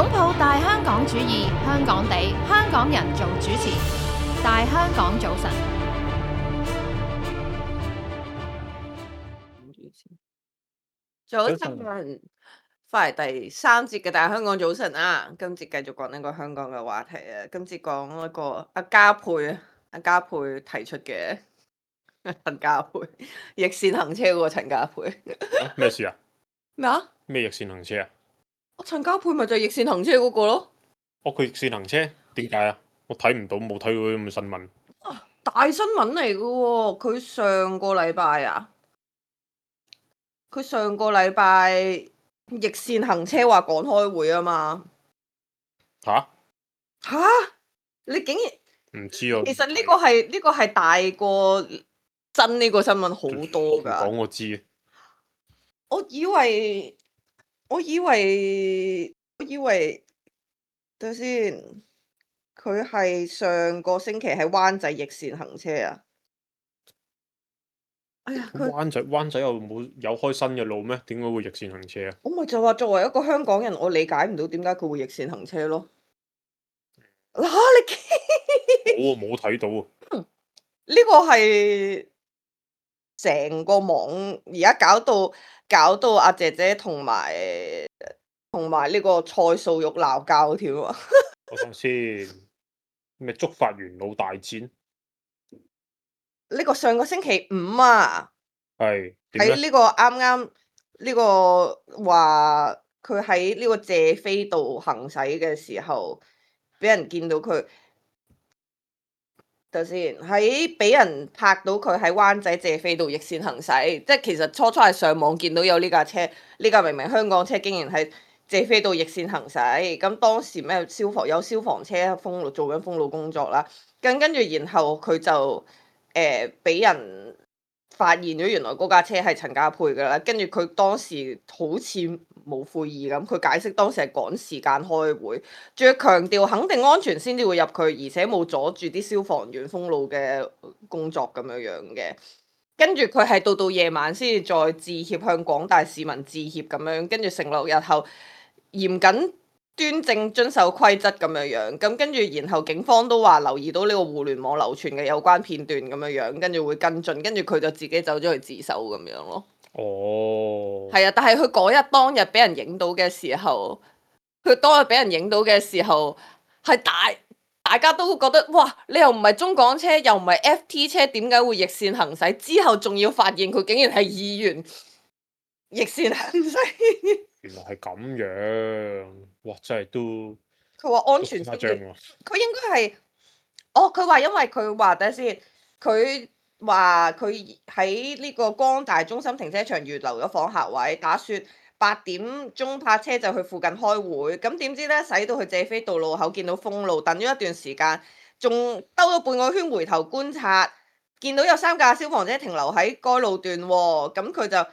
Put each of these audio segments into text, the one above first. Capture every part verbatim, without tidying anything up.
擁抱大香港主義，香港地，香港人做主持。大香港早晨，早晨，翻嚟第三節嘅大香港早晨啊！今節繼續講呢個香港嘅話題啊！今節講一個阿嘉佩啊，阿嘉佩提出嘅陳家佩逆線行車嗰個陳家佩咩事啊？咩啊？咩逆線行車啊？我陳家佩咪就係逆線行車嗰個咯。哦，佢逆線行車點解啊？我睇唔到，冇睇到啲咁嘅新聞。啊，大新聞嚟嘅喎！佢上個禮拜啊，佢上個禮拜逆線行車話趕開會啊嘛。吓？吓？你竟然？唔知啊。其實呢個係呢、呢個係大過真呢個新聞好多㗎。講我知。我以為，我以為，我以為，等下先，佢係上個星期喺灣仔逆線行車啊！哎呀，佢灣仔灣仔又冇有開新嘅路咩？點解會逆線行車啊？我咪就話作為一個香港人，我理解唔到點解佢會逆線行車咯。嗱、啊，你冇啊，冇睇到啊！呢個係成個網而家搞到搞到阿姐姐同埋同埋呢個蔡素玉鬧交添啊！我想先咩觸發元老大戰？呢個上個星期五啊，係喺呢個啱啱呢個話佢喺呢個謝斐道行駛嘅時候，俾人見到佢。等先，喺俾人拍到佢喺灣仔謝斐道逆線行駛，即係其實初初係上網見到有呢架車，呢架明明香港車竟然係謝斐道逆線行駛。咁當時咩消防有消防車封路做緊封路工作啦，咁跟住然後佢就誒俾、呃、人發現咗原來嗰架車係陳家佩噶啦，跟住佢當時好似冇悔意咁，佢解釋當時係趕時間開會，仲要強調肯定安全先至會入去，而且冇阻住啲消防員封路嘅工作咁樣樣嘅。跟住佢係到到夜晚先至再致歉，向廣大市民致歉咁樣，跟住承諾日後嚴謹端正遵守規則咁樣樣。咁跟住然後警方都話留意到呢個互聯網流傳嘅有關片段咁樣樣，跟住會跟進，跟住佢就自己走咗去自首咁樣咯。哦，係啊，但係佢嗰日當日俾人影到嘅時候，佢當日俾人影到嘅時候係大大家都覺得哇，你又唔係中港車，又唔係 F T 車，點解會逆線行駛？之後仲要發現佢竟然係議員逆線行駛。原來係咁樣，哇！真係都佢話安全先至，誇張喎。佢應該係，哦，佢話因為佢話等下先，佢話佢喺呢個光大中心停車場預留咗訪客位，打算八點鐘泊車就去附近開會。咁點知咧，駛到去謝斐道路口見到封路，等咗一段時間，仲兜咗半個圈回頭觀察，見到有三架消防車停留喺該路段喎。咁佢就誒、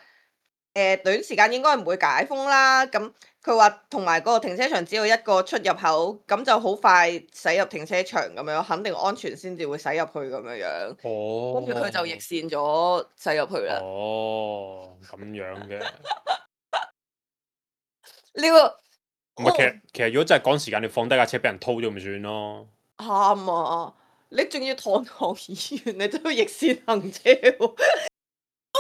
呃、短時間應該唔會解封啦。咁佢話同埋嗰個停車場只有一個出入口，咁就好快駛入停車場咁樣，肯定安全先至會駛入去咁樣樣。哦。跟住佢就逆線咗駛入去啦。哦，咁樣嘅。呢、這個唔係，其實其實如果真係趕時間，你放低架車俾人偷咗咪算咯。啱啊！你仲要堂堂議員，你都要逆線行車喎。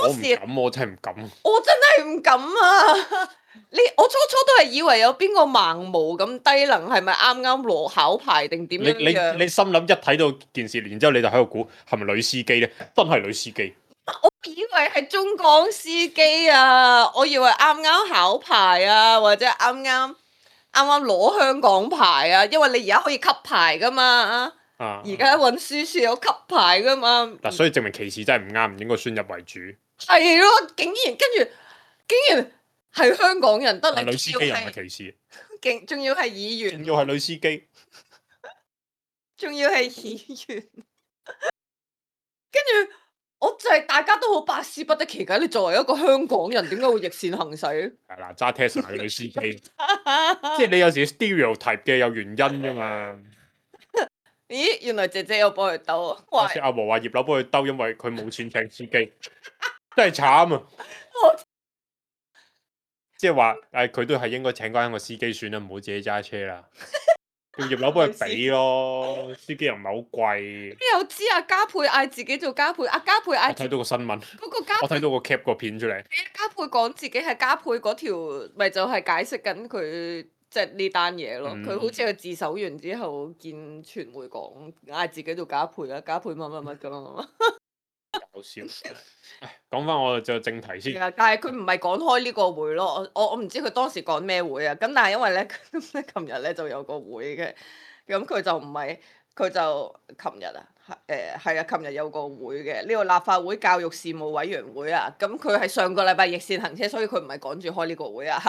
我唔敢，我真係唔敢。我真係唔敢啊！你我初初都係以為有邊個盲毛咁低能，係咪啱啱攞考牌定點樣樣？你你你心諗一睇到件事，然之後你就喺度估係咪女司機咧？真係女司機。我以為係中港司機啊！我以為啱啱考牌啊，或者啱啱啱啱攞香港牌啊，因為你而家可以吸牌噶嘛。啊！而家運輸署有吸牌噶嘛。嗱，所以證明歧視真係唔啱，唔應該宣入為主。係咯，竟然跟住，竟然係香港人得你。女司機又唔係歧視。勁，仲要係議員。仲要係女司機。仲要係議員。跟住，我就係大家都好百思不得其解。你作為一個香港人，點解會逆線行駛？係啦，揸 Tesla 嘅女司機，即係你有時 stereotype 嘅有原因㗎嘛。咦，原來姐姐有幫佢兜啊！好似阿和話葉劉幫佢兜，因為佢冇錢請司機，真係慘啊！即係話誒，佢都係應該請翻個司機算啦，唔好自己揸車啦。叫葉劉幫佢俾咯，司機又唔係好貴。邊有知啊？加倍嗌自己做加倍，阿加倍嗌我睇到個新聞，嗰個加我睇到個 cap 個片出嚟。加倍講自己係加倍嗰條，咪就係解釋緊佢即係呢單嘢咯。佢、嗯好似佢自首完之後見傳媒講嗌自己做加倍啦，加倍乜乜乜咁啊。搞笑。唉講翻我就正題先。係啊，但係佢唔係講開呢個會咯，我我我唔知佢當時講咩會啊。咁但係因為咧，琴日咧就有個會嘅，咁佢就唔係佢就琴日啊，誒係啊，琴日有個會嘅，呢個立法會教育事務委員會啊。咁佢係上個禮拜逆線行車，所以佢唔係趕住開呢個會啊。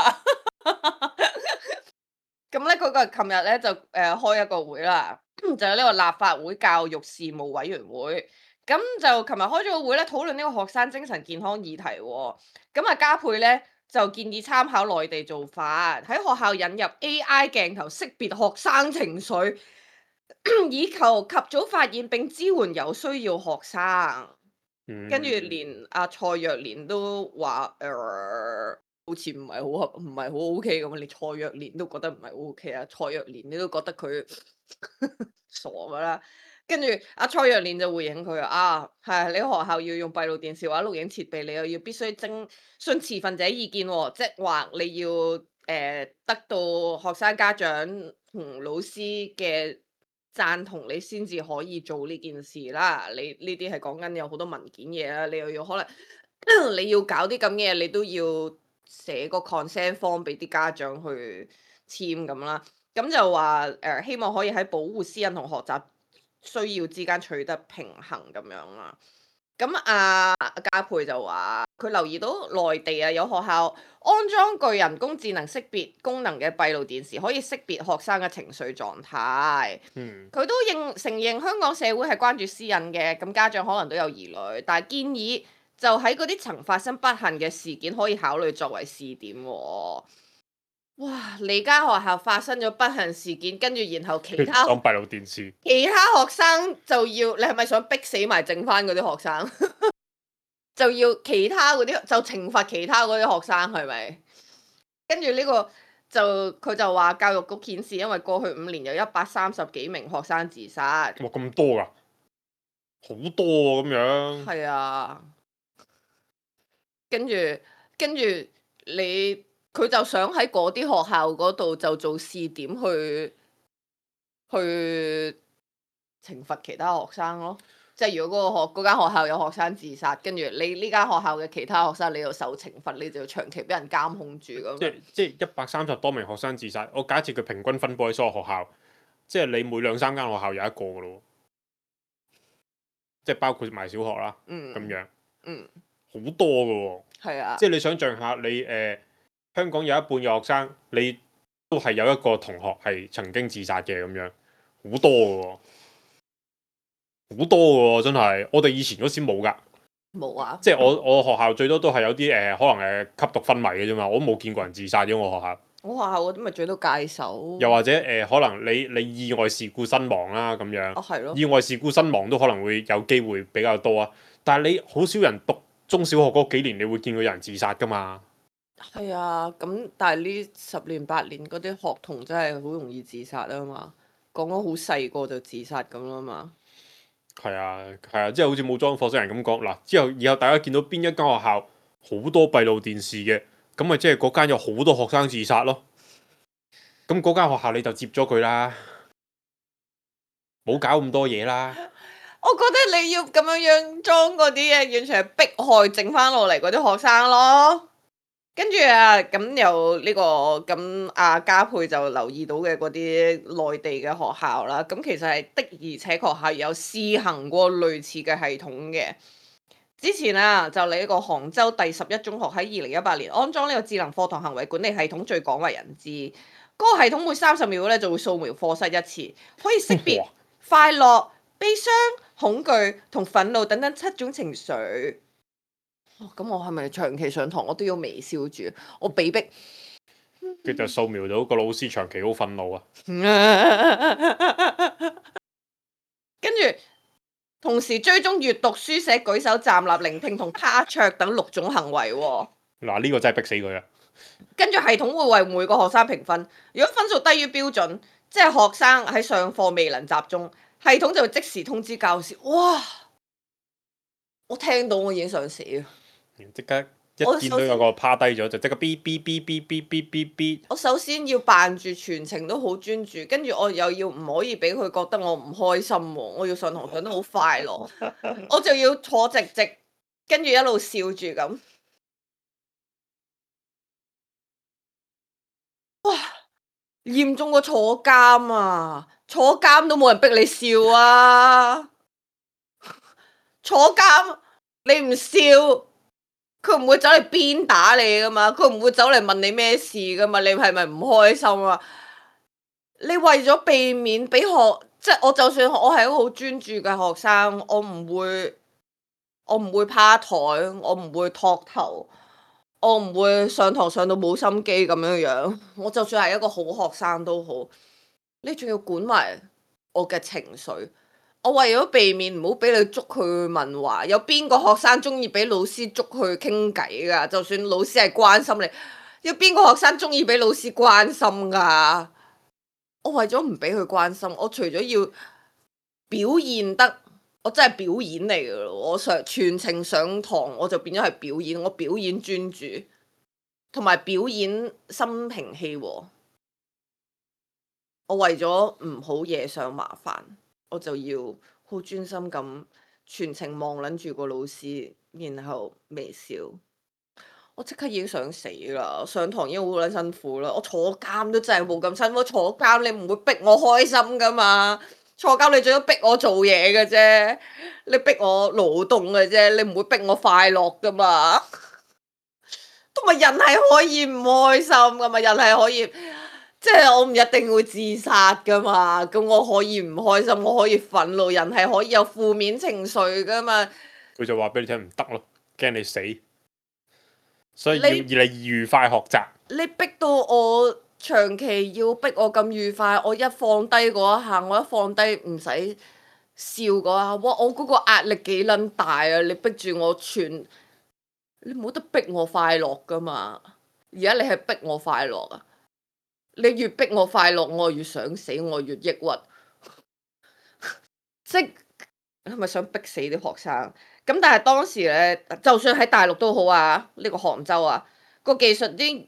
咁咧嗰個琴日咧就誒、呃、開一個會啦，就係呢個立法會教育事務委員會。咁就琴日開咗個會咧，討論呢個學生精神健康議題喎。咁啊，加倍咧就建議參考內地做法，喺學校引入 A I 鏡頭識別學生情緒，以求及早發現並支援有需要學生。跟住嗯連阿蔡若蓮都話誒、呃好似唔係好合，唔係好 O K 咁啊！連蔡若蓮都覺得唔係好 O K 啊！蔡若蓮你都覺得佢傻噶啦。跟住阿蔡若蓮就回應佢啊，係你學校要用閉路電視或者錄影設備，你又要必須徵詢持份者意見喎、即係話你要誒、呃得到學生家長同老師嘅贊同，你先至可以做呢件事啦。你呢啲係講緊有好多文件嘢啦，你又要可能你要搞啲咁嘅嘢，你都要寫個 consent form 俾啲家長去簽咁啦。咁就話誒、呃希望可以喺保護私隱同學習需要之間取得平衡咁樣啦。咁啊，加倍就話佢留意到內地啊有學校安裝具人工智能識別功能嘅閉路電視，可以識別學生嘅情緒狀態。嗯佢都認承認香港社會係關注私隱嘅，咁家長可能都有疑慮，但係建議就喺嗰啲曾發生不幸嘅事件可以考慮作為試點喎。哇！你間學校發生咗不幸事件，跟住然後其他當閉路電視。其他學生就要，你係咪想逼死埋剩翻嗰啲學生？就要其他嗰啲就懲罰其他嗰啲學生係咪？跟住呢個就佢就話教育局顯示，因為過去五年有一百三十幾名學生自殺。哇咁多㗎，好多喎咁樣。係啊，跟住跟住你佢就想喺嗰啲學校嗰度就做試點去去懲罰其他學生咯。即係如果嗰個學嗰間學校有學生自殺，跟住你呢間學校嘅其他學生你要受懲罰，你就要長期俾人監控住咁樣。即係即係一百三十多名學生自殺，我假設佢平均分佈喺所有學校，即係你每兩三間學校有一個㗎咯，即係包括埋小學啦，咁、嗯樣，嗯，好多㗎喎。係啊，即係你想象下，你誒、呃香港有一半嘅學生，你都係有一個同學係曾經自殺嘅咁樣，好多㗎喎，好多㗎喎，真係。我哋以前嗰時冇㗎，冇啊，即係我我學校最多都係有啲誒、呃可能誒吸毒昏迷嘅啫嘛，我都冇見過人自殺嘅我學校。我學校嗰啲咪最多戒手。又或者誒、呃可能你你意外事故身亡啦咁樣。哦，係咯。意外事故身亡都可能會有機會比較多啊，但係你好少人讀中小學嗰幾年，你會見到有人自殺㗎嘛？係啊，咁但係呢十年八年嗰啲學童真係好容易自殺啊嘛，講講好細個就自殺咁啦嘛。係啊，係啊，即係好似冇裝火星人咁講嗱。之後以後大家見到邊一間學校好多閉路電視嘅，咁咪即係嗰間有好多學生自殺咯。咁嗰間學校你就接咗佢啦，冇搞咁多嘢啦。我覺得你要咁樣樣裝嗰啲嘢，完全係迫害剩翻落嚟嗰啲學生咯。跟住啊，咁有呢個咁阿加倍就留意到嘅嗰啲內地嘅學校啦，咁其實係的而且確係有試行過類似嘅系統嘅。之前啊，就你呢個杭州第十一中學喺二零一八年安裝呢個智能課堂行為管理系統，最廣為人知。嗰、個系統每三十秒咧就會掃描課室一次，可以識別快樂、悲傷、恐懼同憤怒等等七種情緒。咁、哦、我係咪長期上堂我都要微笑住？我被逼，佢就掃描到個老師長期好憤怒啊！跟住同時追蹤閱讀、書寫、舉手、站立、聆聽同趴桌等六種行為喎。嗱，呢個真係逼死佢啊！跟住系統會為每個學生評分，如果分數低於標準，即係學生喺上課未能集中，系統就會即時通知教師。哇！我聽到我已經想死啊！即刻一見到有個趴低咗，就即刻嗶嗶嗶嗶嗶嗶嗶嗶。我首先要扮住全程都好專注，跟住我又要唔可以俾佢覺得我唔開心喎，我要上堂上得好快樂，我就要坐直直，跟住一路笑住咁。哇！嚴重過坐監啊！坐監都冇人逼你笑啊！坐監你唔笑，佢唔會走嚟鞭打你噶嘛，佢唔會走嚟問你咩事噶嘛，你係咪唔開心啊？你為咗避免俾學，即係我就算我係一個好專注嘅學生，我唔會，我唔會趴台，我唔會托頭。我唔會上堂上到冇心機咁樣樣，我就算係一個好學生都好，你仲要管埋我嘅情緒。我為咗避免唔好俾你捉佢去問話，有邊個學生中意俾老師捉佢傾偈噶？就算老師係關心你，有邊個學生中意俾老師關心噶？我為咗唔俾佢關心，我除咗要表現得。我真係表演嚟噶咯！我上全程上堂我就變咗係表演，我表演專注，同埋表演心平氣和。我為咗唔好惹上麻煩，我就要好專心咁全程望撚住個老師，然後微笑。我即刻已經想死啦！上堂已經好撚辛苦啦，我坐監都真係冇咁辛苦。坐監你唔會逼我開心噶嘛？坐監你最多逼我做嘢嘅啫，你逼我勞動嘅啫，你唔會逼我快樂噶嘛。同埋人係可以唔開心噶嘛，人係可以，即係我唔一定會自殺噶嘛。咁我可以唔開心，我可以憤怒，人係可以有負面情緒噶嘛。佢就話俾你聽唔得咯，驚你死，所以要你而你愉快學習。你逼到我。長期要逼我咁愉快，我一放低嗰一下，我一放低唔使笑嗰下，哇！我嗰個壓力幾撚大啊！你逼住我全，你冇得逼我快樂噶嘛？而家你係逼我快樂啊！你越逼我快樂，我越想死，我越抑鬱。即係咪想逼死啲學生？咁但係當時咧，就算喺大陸都好啊，呢個杭州啊，個技術啲。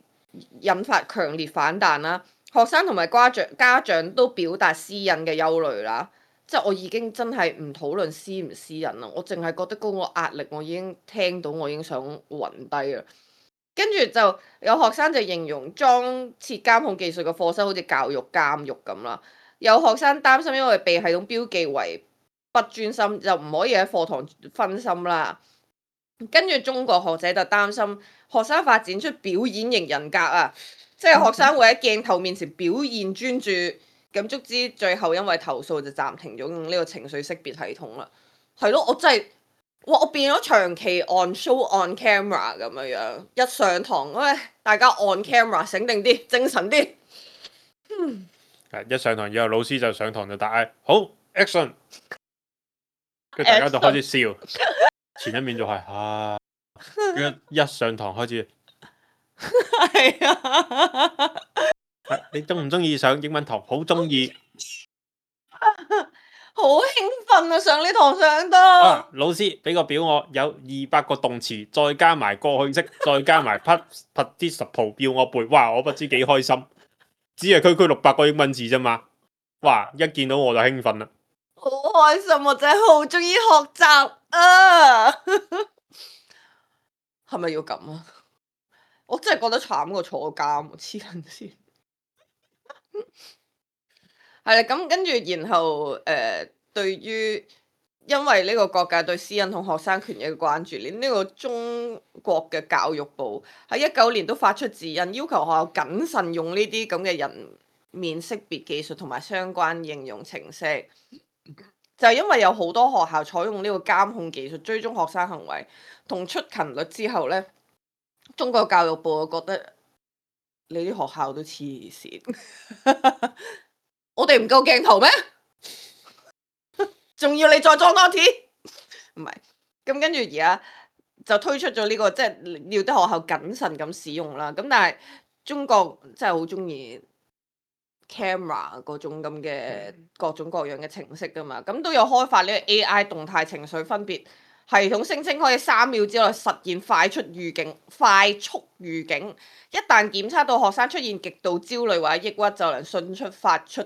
引發強烈反彈啦，學生同埋家長家長都表達私隱嘅憂慮啦，即係我已經真係唔討論私唔私隱啦，我淨係覺得嗰個壓力我已經聽到，我已經想暈低啦。跟住就有學生就形容裝設監控技術嘅課室好似教育監獄咁啦，有學生擔心因為被系統標記為不專心，就唔可以喺課堂分心啦。跟住中國學者就擔心學生發展出表演型人格啊，即係學生會喺鏡頭面前表現專注，咁足之最後因為投訴就暫停咗用呢個情緒識別系統啦。係咯，我真係，哇！我變咗長期 on show on camera 咁樣樣，一上堂，喂，大家 on camera 醒定啲，精神啲。嗯，一上堂以後，老師就上堂就大嗌好 action， 跟住大家就開始笑。前一面就係、是、啊，一一上堂開始，係啊，你中唔中意上英文堂？好中意，好興奮啊！上呢堂上得、啊。老師俾個表我，有二百個動詞，再加埋過去式，再加埋 participle 要我背，哇！我不知幾開心，只係區區六百個英文字啫嘛，哇！一見到我就興奮啦。好開心，我真係好中意學習啊！係咪要咁啊？我真係覺得慘過坐監，黐撚線。係啦，咁跟住然後誒、呃，對於因為呢個國界對私隱同學生權益嘅關注，連呢個中國嘅教育部喺一九年都發出指引，要求學校謹慎用呢啲咁嘅人面識別技術同埋相關應用程式。就係因為有好多學校採用呢個監控技術追蹤學生行為同出勤率之後呢，中國教育部覺得你啲學校都黐線，我哋唔夠鏡頭咩？仲要你再裝多次？唔係，咁跟住而家就推出咗呢、個即係要啲學校謹慎咁使用啦。咁但係中國真係好中意 camera 嗰種咁嘅各種各樣嘅程式噶嘛，咁都有開發呢個 A I 動態情緒分別系統，聲稱可以三秒之內實現快速預警、快速預警。一旦檢測到學生出現極度焦慮或者抑鬱，就能迅速發出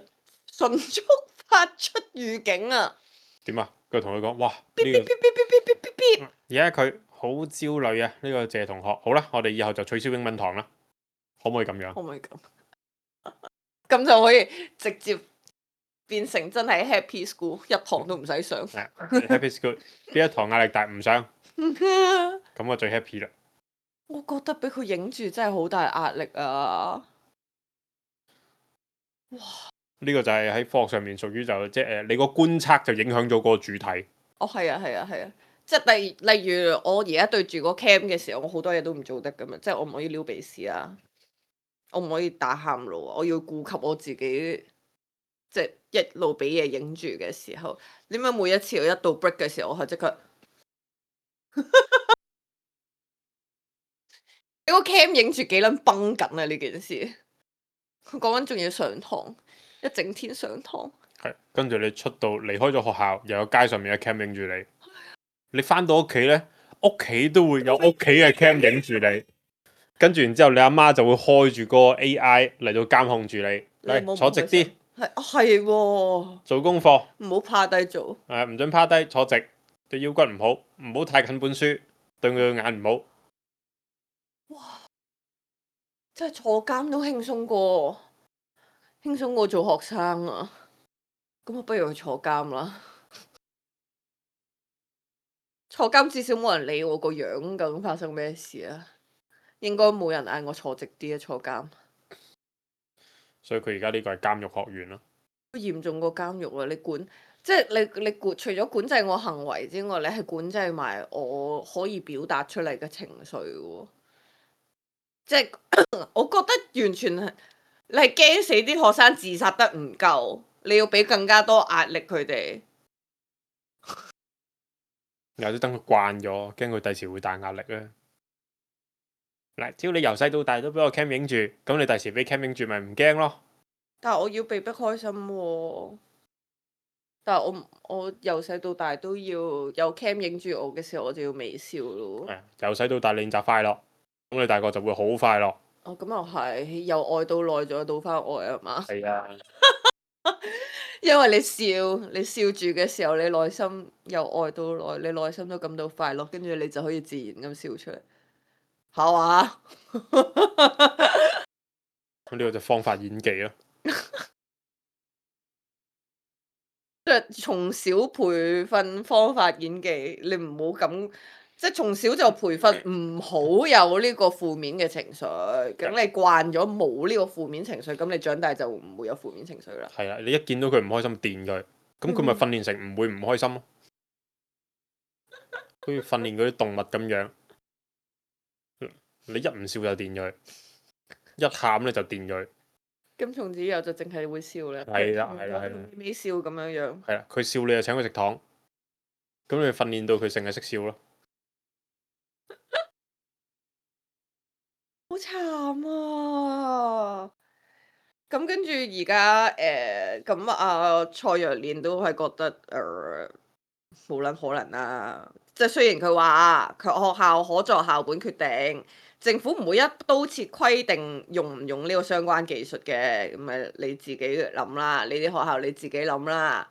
迅速發出預警啊！點啊？佢同佢講：哇，嗶呢、個嗶嗶嗶嗶嗶嗶嗶而家佢好焦慮啊！呢、個謝同學，好啦，我哋以後就取消英文堂啦，可唔可以咁樣？可唔可以咁？咁就可以直接變成真係 Happy School，一堂都唔使上。係 Happy School 呢一堂壓力大唔上，咁我最 happy 啦。我覺得俾佢影住真係好大壓力啊！呢個就係喺科學上面屬於就即係誒，你個觀察就影響咗個主題。哦，係啊，係啊，係啊，即係例例如我而家對住個 cam 嘅時候，我好多嘢都唔做得噶嘛，即係我唔可以撩鼻屎啊，我唔可以打喊路啊，我要顧及我自己，即係一路俾嘢影住嘅時候，點解每一次我一到 break 嘅時候，我係即刻俾個 cam 影住幾撚崩緊啊！呢件事，講緊仲要上堂，一整天上堂。係，跟住你出到離開咗學校，又有街上面嘅 cam 影住你。你翻到屋企呢，屋企都會有屋企嘅 cam 影住你。跟住然之後，你阿媽就會開住個 A I 嚟到監控住你。嚟坐直啲，係係喎，做功課，唔好趴低做。誒唔准趴低，坐直，對腰骨唔好，唔好太近本書，對佢個眼唔好。真係坐監都輕鬆過，輕鬆過做學生啊！咁我不如去坐監啦。坐監至少冇人理我個樣，究竟發生咩事啊？應該冇人嗌我坐直啲啊！坐監，所以佢而家呢個係監獄學院咯。嚴重過監獄啊！你管，即係你你管，除咗管制我行為之外，你係管制埋我可以表達出嚟嘅情緒喎。即係我覺得完全係你係驚死啲學生自殺得唔夠，你要俾更加多壓力佢哋。有啲等佢慣咗，驚佢第時會大壓力咧。嗱，只要你由細到大都俾個 cam 影住，咁你第時俾 cam 影住咪唔驚咯。但係我要被迫開心喎、但係我我由細到大都要有 cam 影住我嘅時候，我就要微笑咯。係由細到大練習快樂，咁你大個就會好快樂。哦，咁又係由愛到內，再到翻愛啊嘛。係啊，因為你笑，你笑住嘅時候，你內心由愛到內，你內心都感到快樂，跟住你就可以自然咁笑出嚟，係嘛？咁呢個就方法演技咯。即係從小培訓方法演技，你唔好咁，即係從小就培訓唔好有呢個負面嘅情緒。咁你慣咗冇呢個負面情緒，咁你長大就唔會有負面情緒啦。係啊，你一見到佢唔開心，電佢，咁佢咪訓練成唔會唔開心咯。好似訓練嗰啲動物咁樣，你一唔笑就電佢，一喊咧就電佢。咁從此以後就淨係會笑啦。係啦係啦係啦微笑咁樣樣。係啦，佢笑你就請佢食糖，咁你訓練到佢成日識笑咯。好慘啊！咁跟住而家誒，咁啊蔡若蓮都係覺得誒冇撚可能啦。即係雖然佢話佢學校可作校本決定，政府唔會一刀切規定用唔用呢個相關技術嘅，咁咪你自己諗啦。你啲學校你自己諗啦。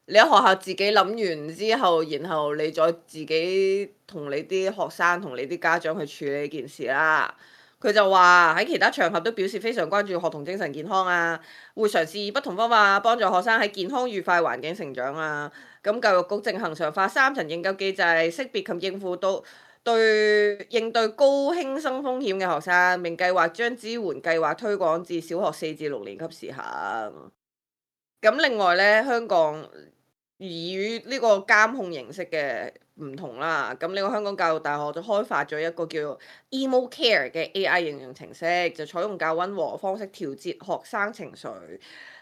你喺學校自己諗完之後，然後你再自己同你啲學生同你啲家長去處理呢件事啦。佢就話喺其他場合都表示非常關注學童精神健康啊，會嘗試以不同方法幫助學生喺健康愉快環境成長啊。咁教育局正恆常化三層應急機制，識別及應付到對應對高輕生風險嘅學生，並計劃將支援計劃推廣至小學四至六年級試行。咁另外咧，香港以呢個監控形式嘅唔同啦，咁呢個香港教育大學就開發咗一個叫做 Emo Care 嘅 A I 應用程式，就採用較溫和嘅方式調節學生情緒。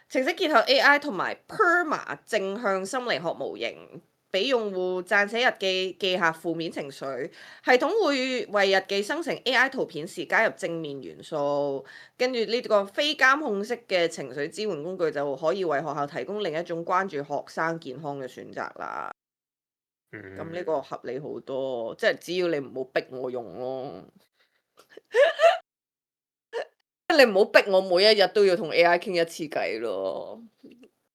程式結合 A I 同埋 Perma 正向心理學模型，俾用戶撰寫日記，記下負面情緒。系統會為日記生成 A I 圖片時加入正面元素，跟住呢個非監控式嘅情緒支援工具就可以為學校提供另一種關注學生健康嘅選擇啦。咁呢、嗯，個合理好多，即係只要你唔好逼我用咯。你唔好逼我每一日都要同 A I 傾一次偈咯。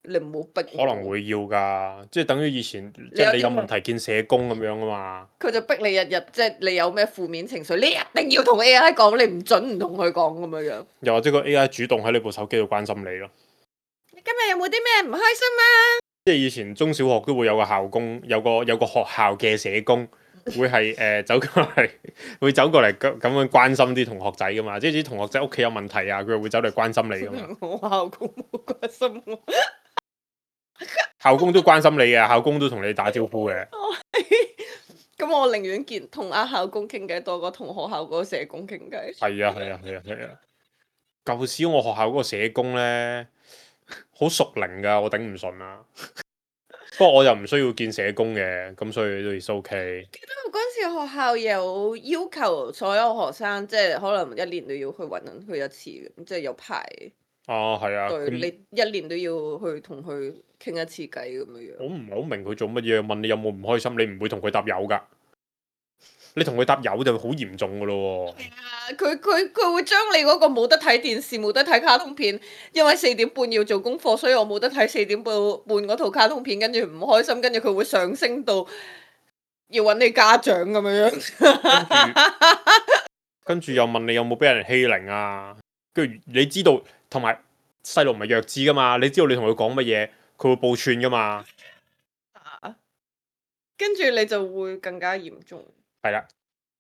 你唔好逼我。可能會要㗎，即係等於以前你即係你有有啲問題見社工咁樣啊嘛。佢就逼你日日，即係你有咩負面情緒，你一定要同 A I 講，你唔准唔同佢講咁樣樣。又或者個 A I 主動喺你部手機度關心你咯。你今日有冇啲咩唔開心啊？即係以前中小學都會有個校工，有個有個學校嘅社工，會係誒、呃、走過嚟，會走過嚟咁咁樣關心啲同學仔噶嘛。即係啲同學仔屋企有問題啊，佢會走嚟關心你噶嘛。我校工冇關心我。校工都關心你嘅，校工都同你打招呼嘅。咁我寧願見同阿校工傾偈多過同學校嗰個社工傾偈。係啊係啊係啊係啊！舊時我學校嗰個社工咧，好熟齡㗎，我頂唔順啊。不過我又唔需要見社工嘅，咁所以都係 OK。記得我嗰陣時學校有要求所有學生，即係可能一年都要去揾佢一次嘅，即係有排。哦，係啊，對，咁你一年都要去同佢傾一次偈咁樣樣。我唔係好明佢做乜嘢，問你有冇唔開心，你唔會同佢答有㗎。你同佢答有就好嚴重㗎咯喎。係啊，佢佢佢會將你嗰個冇得睇電視、冇得睇卡通片，因為四點半要做功課，所以我冇得睇四點半半嗰套卡通片，跟住唔開心，跟住佢會上升到要揾你家長咁樣樣。跟住又問你有冇俾人欺凌啊？跟住你知道，同埋細路唔係弱智噶嘛，你知道你同佢講乜嘢，佢會報串噶嘛。跟住你就會更加嚴重。係啦，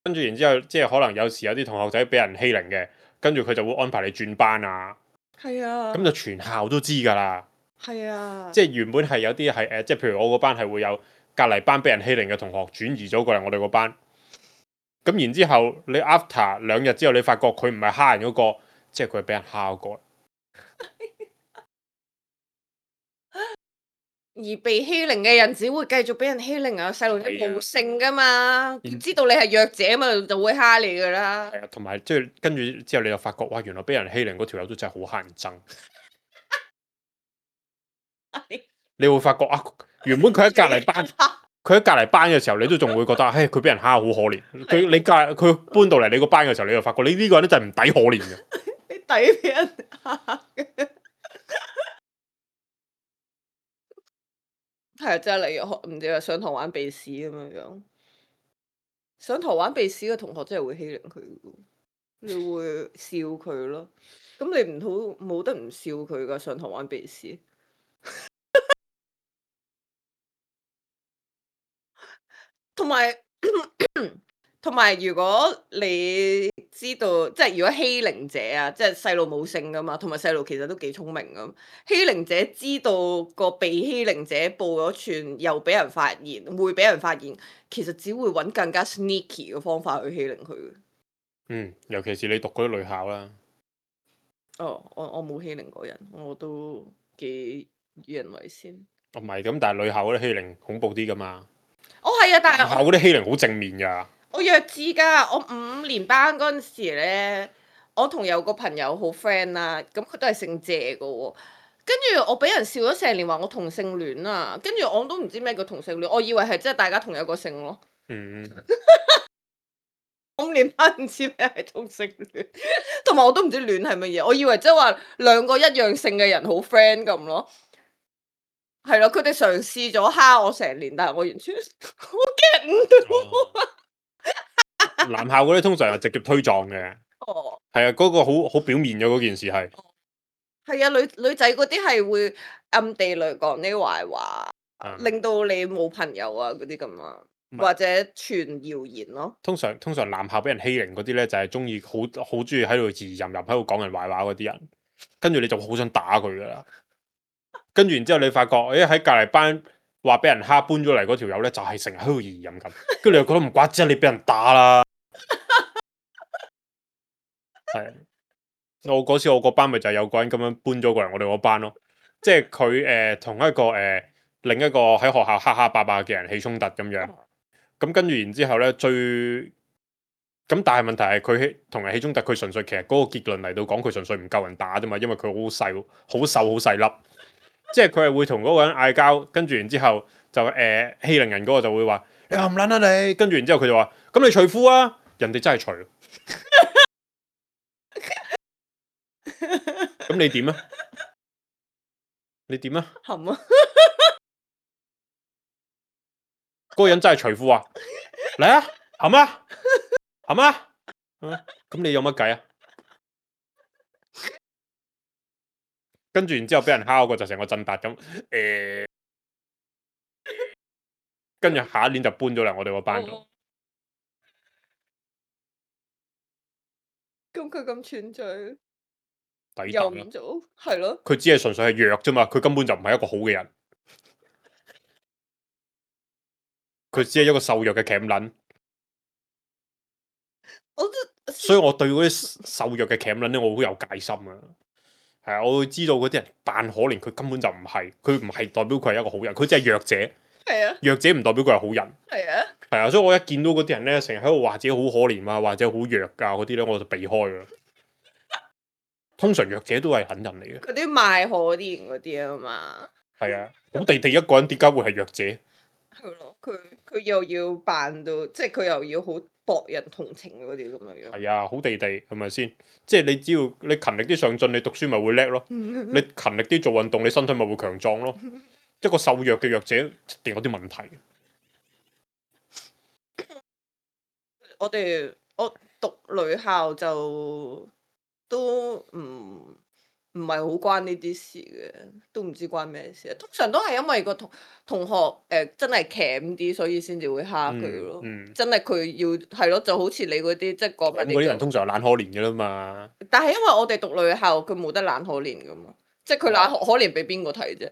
跟住然之後，即係可能有時有啲同學仔俾人欺凌嘅，跟住佢就會安排你轉班啊。係啊。咁就全校都知㗎啦。係啊。即係原本係有啲係誒，即係譬如我個班係會有隔離班俾人欺凌嘅同學轉移咗過嚟我哋個班。咁然之後，你 after 兩日之後，你發覺佢唔係蝦人嗰個，即係佢係俾人蝦嗰個。而被欺凌嘅人只會繼續俾人欺凌啊！細路仔冇性噶嘛，嗯知道你係弱者嘛，就會蝦你噶啦。係啊，同埋即係跟住之後，你就發覺哇，原來俾人欺凌嗰條友都真係好乞人憎。你會發覺啊，原本佢喺隔離班，佢喺隔離班嘅時候，你都仲會覺得，嘿，佢俾人蝦好可憐。佢你隔佢搬到嚟你個班嘅時候，你就發覺你呢個人咧就係唔抵可憐嘅。你抵俾人蝦嘅。係啊，即係例如學唔知啊，上堂玩鼻屎咁樣樣，上堂玩鼻屎嘅同學真係會欺凌佢嘅，你會笑佢咯。咁你唔好冇得唔笑佢噶，上堂玩鼻屎。同埋同埋，如果你知道，即係如果欺凌者啊，即係細路冇性噶嘛，同埋細路其實都幾聰明咁。欺凌者知道個被欺凌者報咗串，又俾人發現，會俾人發現，其實只會揾更加 sneaky 嘅方法去欺凌佢。嗯，尤其是你讀嗰啲女校啦。哦，我我冇欺凌過人，我都幾與人為先。唔係咁，但係女校嗰啲欺凌恐怖啲噶嘛。哦，係啊，但男係校嗰啲欺凌好正面㗎。我弱智㗎，我五年班嗰陣時咧，我同有個朋友好 friend 啦，咁佢都係姓謝嘅喎。跟住我俾人笑咗成年，話我同性戀啊！跟住我都唔知咩叫同性戀，我以為係即係大家同一個姓咯。嗯，五年班唔知咩係同性戀，同埋我都唔知戀係乜嘢，我以為即係話兩個一樣姓嘅人好 friend 咁咯。係咯，佢哋嘗試咗蝦我成年，但係我完全我 get 唔到。哦男校嗰啲通常係直接推撞嘅。哦，係啊，嗰、個好好表面嘅嗰件事係。係啊，女女仔嗰啲係會暗地裏講啲壞話，嗯令到你冇朋友啊嗰啲咁啊，唔係或者傳謠言咯。通常通常男校俾人欺凌嗰啲咧，就係中意好好中意喺度自淫淫喺度講人壞話嗰啲人，跟住你就好想打佢噶啦。跟住然之後你發覺，誒喺隔離班話俾人蝦搬咗嚟嗰條友咧，就係成日喺度自淫咁，跟住你又覺得唔怪之，你俾人打啦。係，我嗰次我個班咪就係有個人咁樣搬咗過嚟我哋嗰班咯，即係佢誒同一個誒、呃、另一個喺學校黑黑白白嘅人起衝突咁樣。咁跟住然之後咧，最咁但係問題係佢同人起衝突，佢純粹其實嗰個結論嚟到講，佢純粹唔夠人打啫嘛，因為佢好細、好瘦、好細粒，即係佢係會同嗰個人嗌交，跟住然之後就誒、呃、欺凌人嗰個就會話你冚撚啊你，跟住然之後佢就話咁你除褲啊，人哋真係除，咁你點啊？你點啊？冚啊！嗰個人真係除褲啊！嚟啊，冚啊，冚啊！咁你有乜計啊？跟住然之後俾人敲個就成個震達咁，誒、跟住下一年就搬咗嚟我哋個班度。咁佢咁串嘴，抵又打啦！唔做，係咯。佢只係純粹係弱啫嘛，佢根本就唔係一個好嘅人，佢只係一個瘦弱嘅鉗撚。我都所以我對嗰啲瘦弱嘅鉗撚咧，我好有戒心啊。係啊，我會知道嗰啲人扮可憐，佢根本就唔係，佢唔係代表佢係一個好人，佢只係弱者。係啊，弱者唔代表佢係好人。係啊，係啊，所以我一見到嗰啲人咧，成日喺度話自己好可憐啊，或者好弱噶嗰啲咧，我就避開噶。通常弱者都係狠人嚟嘅。嗰啲賣可憐嗰啲啊嘛。係啊，好地地一個人點解會係弱者？係咯，佢佢又要扮到，即係佢又要好博人同情嗰啲咁樣樣。係啊，好地地係咪先？即係你只要你勤力啲上進，你讀書咪會叻咯。你勤力啲做運動，你身體咪會強壯咯。一個瘦弱嘅弱者一定有啲問題。我哋我讀女校就都唔唔係好關呢啲事嘅，都唔知關咩事。通常都係因為個同同學誒、呃、真係鉗啲，所以先至會蝦佢咯。嗯嗯真係佢要係咯，就好似你嗰啲即係講緊咁嗰啲人通常係懶可憐嘅啦嘛。但係因為我哋讀女校，佢冇得懶可憐噶嘛，即係佢懶可可憐俾邊個睇啫？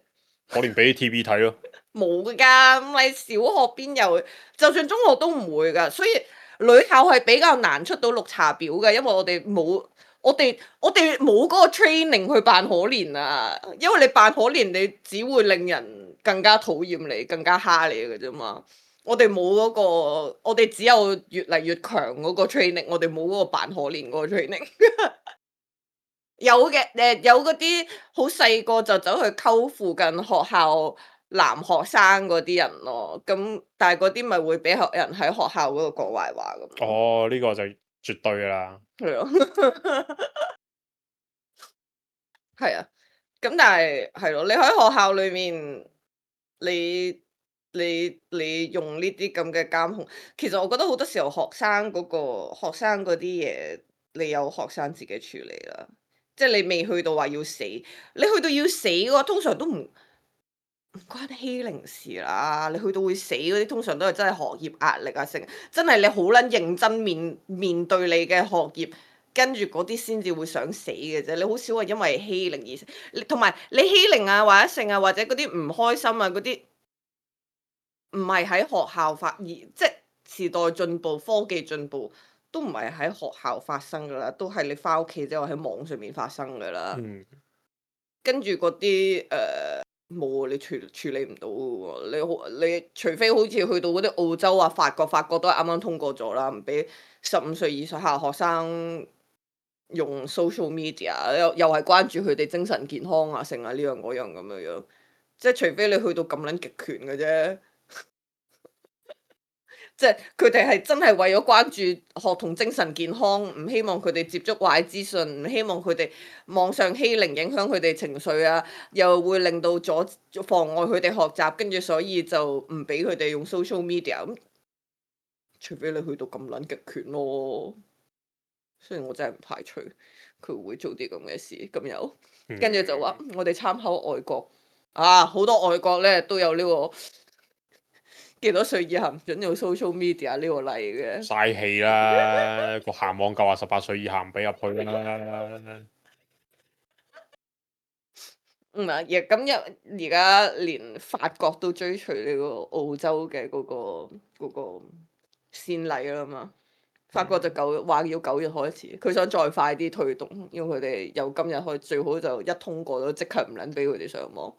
可憐俾 T V 睇咯。冇㗎，咁你小學邊有？就算中學都唔會㗎，所以女校係比較難出到綠茶婊嘅，因為我哋冇我哋我哋冇嗰個 training 去扮可憐啊，因為你扮可憐，你只會令人更加討厭你，更加蝦你嘅啫嘛。我哋冇嗰個，我哋只有越嚟越強嗰個 training，我哋冇嗰個扮可憐嗰個 training。有嘅，誒有嗰啲好細個就走去溝附近學校男學生嗰啲人咯，咁但係嗰啲咪會俾學人喺學校嗰度講壞話咁。哦，呢、個就絕對噶啦。係咯，係啊，咁但係係咯，你喺學校裏面，你你你用呢啲咁嘅監控，其實我覺得好多時候學生嗰、個學生嗰啲嘢，你有學生自己處理啦。即係你未去到話要死，你去到要死嘅話，通常都唔唔關欺凌事啦。你去到會死嗰啲，通常都係真係學業壓力啊，成真係你好撚認真面面對你嘅學業，跟住嗰啲先至會想死嘅啫。你好少話因為欺凌而死，你同埋你欺凌啊或者性啊或者嗰啲唔開心啊嗰啲，唔係喺學校發而即係時代進步、科技進步。都唔係喺學校發生噶啦，都係你翻屋企之後喺網上面發生噶啦。嗯，跟住嗰啲誒冇你處處理唔到嘅喎，你好你除非好似去到嗰啲澳洲啊、法國，法國都係啱啱通過咗啦，唔俾十五歲以下學生用 social media，又又係關注佢哋精神健康啊、成啊呢樣嗰樣咁樣樣，即係除非你去到咁撚極權嘅啫。即係佢哋係真係為咗關注學童精神健康，唔希望佢哋接觸壞資訊，唔希望佢哋網上欺凌影響佢哋情緒啊，又會令到阻妨礙佢哋學習，跟住所以就唔俾佢哋用 social media。咁除非你去到咁撚極權咯，雖然我真係唔排除佢會做啲咁嘅事，咁又跟住就話我哋參考外國啊，好多外國咧都有呢個。幾多歲以下唔準用 social media 呢個例嘅？嘥氣啦！個鹹網夠話十八歲以下唔俾入去啦。唔係，亦咁一而家連法國都追隨呢個澳洲嘅嗰、個嗰、個先例啦嘛。法國就九話要九月開始，佢想再快啲推動，因為佢哋由今日開最好就一通過咗，即刻唔撚俾佢哋上網。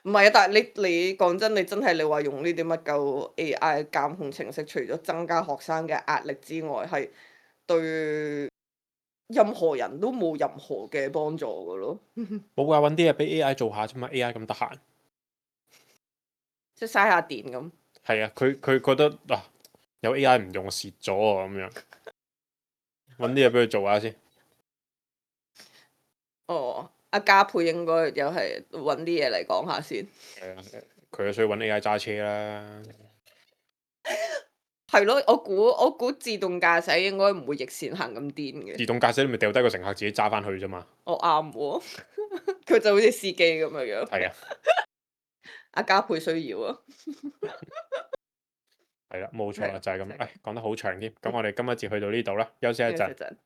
唔係啊，但係你你講真，你真係你話用呢啲乜鳩 A I 監控程式，除咗增加學生嘅壓力之外，係對任何人都冇任何嘅幫助噶咯。冇話揾啲嘢俾 A I 做下啫嘛，A I 咁得閒。即係嘥下電咁。係啊，佢佢覺得啊，有 A I 唔用蝕咗啊咁樣，揾啲嘢俾佢做下先。哦，阿嘉佩應該又係揾啲嘢嚟講下先。係啊，佢就需要揾 A I 揸車啦。係咯，我估我估自動駕駛應該唔會逆線行咁癲嘅。自動駕駛你咪掉低個乘客自己揸翻去啫嘛。我啱喎，佢就好似司機咁樣樣。係啊，阿嘉佩需要啊。係啦，冇錯啦，係就係咁。就係咁誒，講得好長添，咁我哋今一節去到呢度啦，休息一陣。陣。